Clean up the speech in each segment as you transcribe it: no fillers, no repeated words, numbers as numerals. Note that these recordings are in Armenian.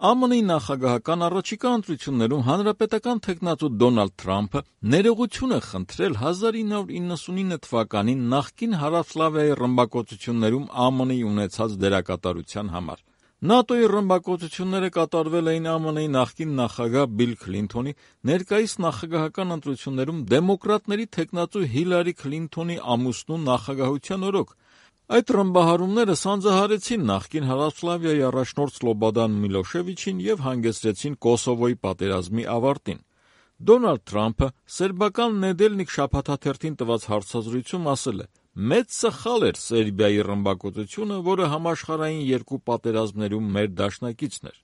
ԱՄՆ-ի նախագահական առաջիկա ընտրություններում հանրապետական թեկնածու Դոնալդ Թրամփը ներողություն է խնդրել 1999 թվականին նախկին Հարավսլավիայի ռմբակոծություններում ԱՄՆ-ի ունեցած դերակատարության համար։ ՆԱՏՕ-ի ռմբակոծությունները կատարվել էին ԱՄՆ-ի նախկին նախագահ Բիլ Քլինթոնի, ներկայիս նախագահական ընտրություններում դեմոկրատների թեկնածու Հիլարի Քլինթոնի ամուսնու նախագահության օրոք։ Այդ ռմբահարումները սանձահարեցին նախկին Հարավսլավիայի առաջնորդ Սլոբոդան Միլոշևիչին եւ հանգեցրեցին Կոսովոյի պատերազմի ավարտին։ Դոնալդ Թրամփը սերբական Նեդելնիկ շաբաթաթերթին տված հարցազրույցում ասել է. «Մեծ սխալ էր Սերբիայի ռմբակոծությունը, որը համաշխարհային երկու պատերազմներում մեր դաշնակիցն էր»։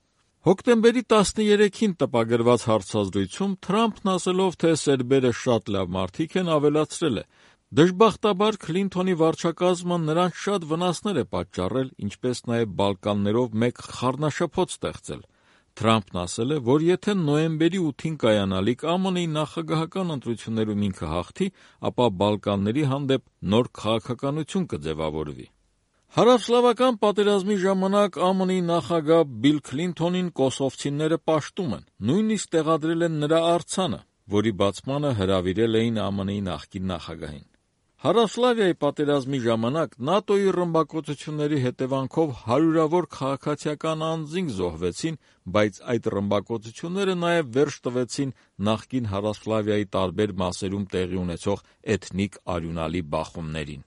Հոկտեմբերի 13-ին տպագրված հարցազրույցում Թրամփն ասելով, թե սերբերը շատ լավ մարդիկ են, ավելացրել է. «Դժբախտաբար Քլինթոնի վարչակազմը նրանց շատ վնասներ է պատճառել, ինչպես նաև Բալկաններով մեկ խառնաշփոթ ստեղծել»։ Թրամփն ասել է, որ եթե նոյեմբերի 8-ին կայանալիք ԱՄՆ-ի նախագահական ընտրություններում ինքը հաղթի, ապա Բալկանների հանդեպ նոր քաղաքականություն կձևավորվի։ Հարավսլավական պատերազմի ժամանակ ԱՄՆ-ի նախագահ Բիլ Քլինթոնին կոսովցիները պաշտում են, նույնիսկ տեղադրել են նրա արձանը, որի բացմանը հրավիրել էին ԱՄՆ-ի նախկին նախագահին։ Հարավսլավիայի պատերազմի ժամանակ ՆԱՏՕ-ի ռմբակոծությունների հետևանքով հարյուրավոր քաղաքացիական անձինք զոհվեցին, բայց այդ ռմբակոծությունները նաև վերջ տվեցին նախկին Հարավսլավիայի տարբեր մասերում տեղի ունեցող էթնիկ արյունալի բախումներին։